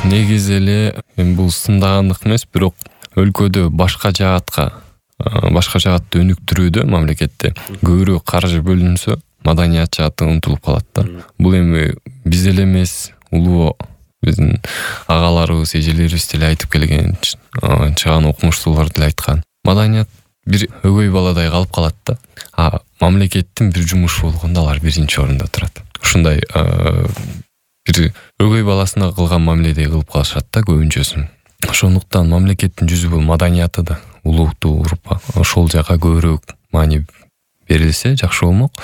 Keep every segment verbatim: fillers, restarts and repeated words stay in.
негизи эле эми бул сындагандык эмес, бирок өлкөдө башка жаатка башка жаатты өнүктүрүүдө мамлекетте көбүрөөк каржы бөлүнсө, маданият жааты унутулуп калат да. Бул эми биз эле эмес, улуу биздин агаларыбыз, эжелерибиз деле айтып келген, чыган окумуштуулар деле айткан. Маданият бир өгөй баладай калып калат да. А мамлекеттин бир жумушу болгондо алар биринчи орунда турат. Ушундай бир өгөй баласына кылган мамиледей кылып калышат да көбүнчөсүн. Ошондуктан мамлекеттин жүзү бул маданияты да, улуттуу урупка ошол жака көбүрөөк маани берилсе жакшы болмок.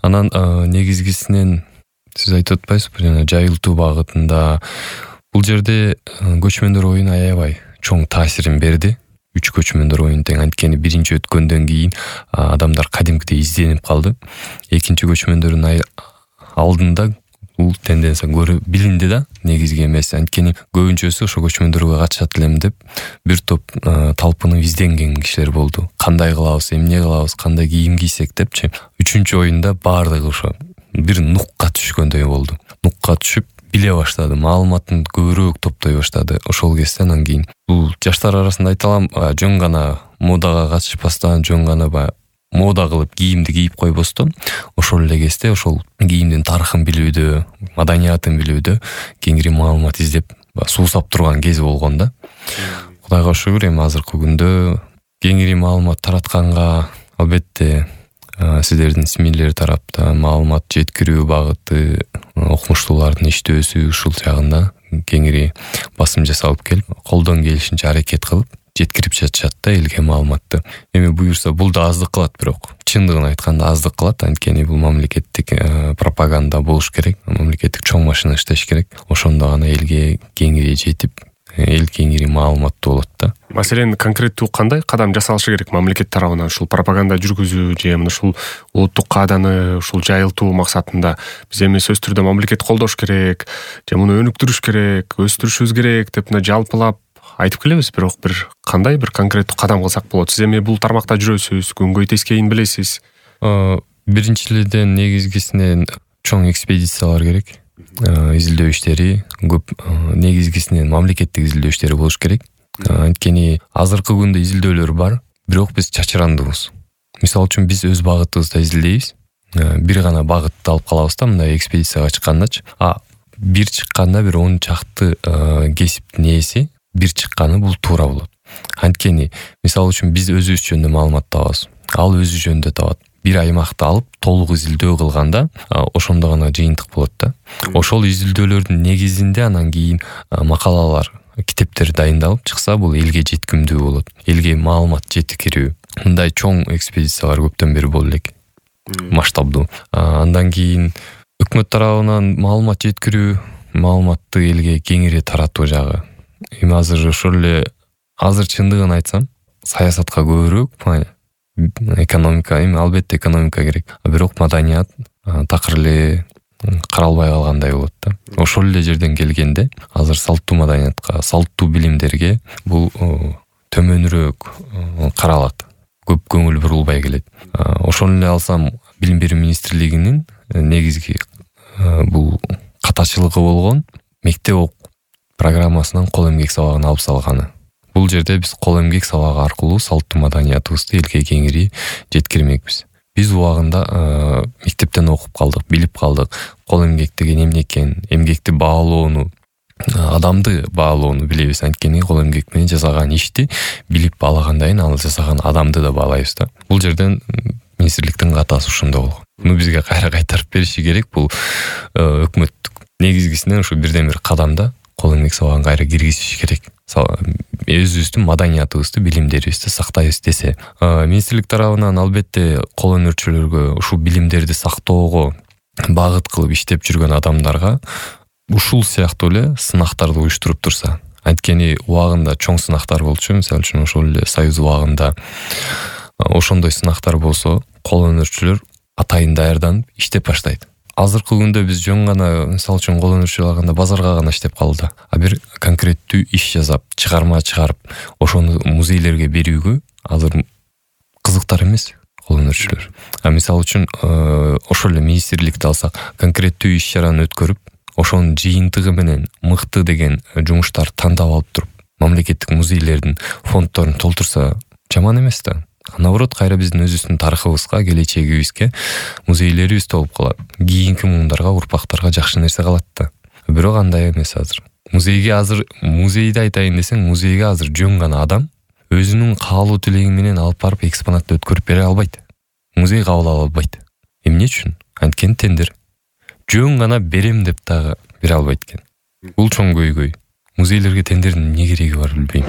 Анан негизгисинен сиз айтып атпайсызбы, жана жайылтуу багытында бул жерде көчмөндөр оюну аябай чоң таасирин берди. Үч көчмөндөр оюну тең, анткени биринчи өткөндөн кийин адамдар кадимкидей изденип калды. Экинчи көчмөндөрдүн алдында бул тенденция көрү билинди да, негизги эмес. Анткени көбүнчөсү ошо көчмөндөргө катышат элем деп бир топ талпынып изденген кишилер болду. Кандай кылабыз, эмне кылабыз, кандай кийим кийсек депчи. Үчүнчү оюнда баардыгы ошо бир нукка түшкөндөй болду. Нукка түшүп биле баштады, маалыматын көбүрөөк топтой баштады. Ошол кезде анан кийин бул жаштар арасында айта алам, жөн гана модага катышпастан, жөн гана баягы мода кылып кийимди кийип койбостон, ошол эле кезде ошол кийимдин тарыхын билүүдө, маданиятын билүүдө кеңири маалымат издеп суусап турган кези болгон да. Кудайга шүгүр, эми азыркы күндө кеңири маалымат таратканга албетте сиздердин СМИлер тарапта маалымат жеткирүү багыты, окумуштуулардын иштөөсү ушул жагында кеңири басым жасалып келип, колдон келишинче аракет кылып жеткирип жатышат да элге маалыматты. Эми буюрса бул да аздык кылат, бирок чындыгын айтканда аздык кылат, анткени бул мамлекеттик пропаганда болуш керек, мамлекеттик чоң машина иштеш керек. Ошондо гана элге кеңири жетип, эл кеңири маалыматтуу болот да. Маселен, конкреттүү кандай кадам жасалышы керек мамлекет тарабынан ушул пропаганда жүргүзүү же мына ушул улуттук кааданы ушул жайылтуу максатында биз эми сөзсүз түрдө мамлекет колдош керек, же муну өнүктүрүш керек, өстүрүшүбүз керек деп мына жалпылап айтып келебиз, бирок бир кандай бир конкреттүү кадам кылсак болот? Сиз эми бул тармакта жүрөсүз, күнгөй тескейин билесиз. Биринчилерден негизгисинен чоң экспедициялар керек. Изилдөө иштери көп, негизгисинен мамлекеттик изилдөө иштери болуш керек. Анткени азыркы күндө изилдөөлөр бар, бирок биз чачырандыбыз. Мисалы үчүн биз өз багытыбызда изилдейбиз. Бир гана багытты алып калабыз да, мындай экспедицияга чыккандачы. А бир чыкканда бир он чакты кесиптин ээси бир чыкканы бул туура болот. Анткени мисалы үчүн биз өзүбүз жөнүндө маалымат табабыз, ал өзү жөнүндө табат. Бир аймакты алып толук изилдөө кылганда ошондо гана жыйынтык болот да. Ошол изилдөөлөрдүн негизинде анан кийин макалалар, китептер дайындалып чыкса, бул элге жеткимдүү болот. Элге маалымат жеткирүү. Мындай чоң экспедициялар көптөн бери боло элек. Масштабдуу. Андан кийин өкмөт тарабынан маалымат жеткирүү, маалыматты элге кеңири таратуу жагы. Эми азыр ошол эле, азыр чындыгын айтсам, саясатка көбүрөөк, экономика, эми албетте экономика керек, бирок маданият такыр эле каралбай калгандай болот да. Ошол эле жерден келгенде азыр салттуу маданиятка, салттуу билимдерге бул төмөнүрөөк каралат, көп көңүл бурулбай келет. Ошону эле алсам, билим берүү министрлигинин негизги бул катачылыгы болгон мектеп программасынан кол эмгек сабагын алып салганы. Бул жерде биз кол эмгек сабагы аркылуу салттуу маданиятыбызды элге кеңири жеткирмекпиз. Биз убагында мектептен окуп калдык, билип калдык. Кол эмгек деген эмне экен, эмгекти баалоону, адамды баалоону билебиз. Анткени кол эмгек менен жасаган ишти билип баалагандан ал жасаган адамды да баалайбыз да. Бул жерден министрликтин катасы ошондо болгон. Муну бизге кайра кайтарып бериши керек. Бул өкмөттүк негизгисинен ушу бирден бир кадамда кол эмгек сабагын кайра киргизиш керек. Өзүбүздүн маданиятыбызды, билимдерибизди сактайбыз десе. Министрлик тарабынан албетте кол өнөрчүлөргө ушу билимдерди сактоого багыт кылып иштеп жүргөн адамдарга ушул сыяктуу эле сынактарды уюштуруп турса. Анткени убагында чоң сынактар болчу, мисалы үчүн ошол эле Союз убагында ошондой сынактар болсо, кол өнөрчүлөр атайын даярданып иштеп баштайт. Азыркы күндө биз жөн гана, мисалы үчүн кол өнөрчүлөр алганда базарга гана иштеп калды. А бир конкреттүү иш жасап, чыгарма чыгарып, ошону музейлерге берүүгө азыр кызыктар эмес кол өнөрчүлөр. А мисалы үчүн ошол эле министрликти алсак, конкреттүү иш чараны өткөрүп, ошонун жыйынтыгы менен мыкты деген жумуштарды тандап алып туруп мамлекеттик музейлердин фонддорун толтурса жаман эмес да. Наоборот, кайра биздин өзүбүздүн тарыхыбызга, келечегибизге музейлерибиз толуп калат. Кийинки муундарга, урпактарга жакшы нерсе калат да. Бирок андай эмес азыр. Музейге азыр музейди айтайын десең, музейге азыр жөн гана адам өзүнүн каалоо тилеги менен алып барып экспонатты өткөрүп бере албайт. Музей кабыл ала албайт. Эмне үчүн? Анткени тендер. Жөн гана берем деп дагы бере албайт экен. Бул чоң көйгөй. Музейлерге тендердин эмне кереги бар билбейм.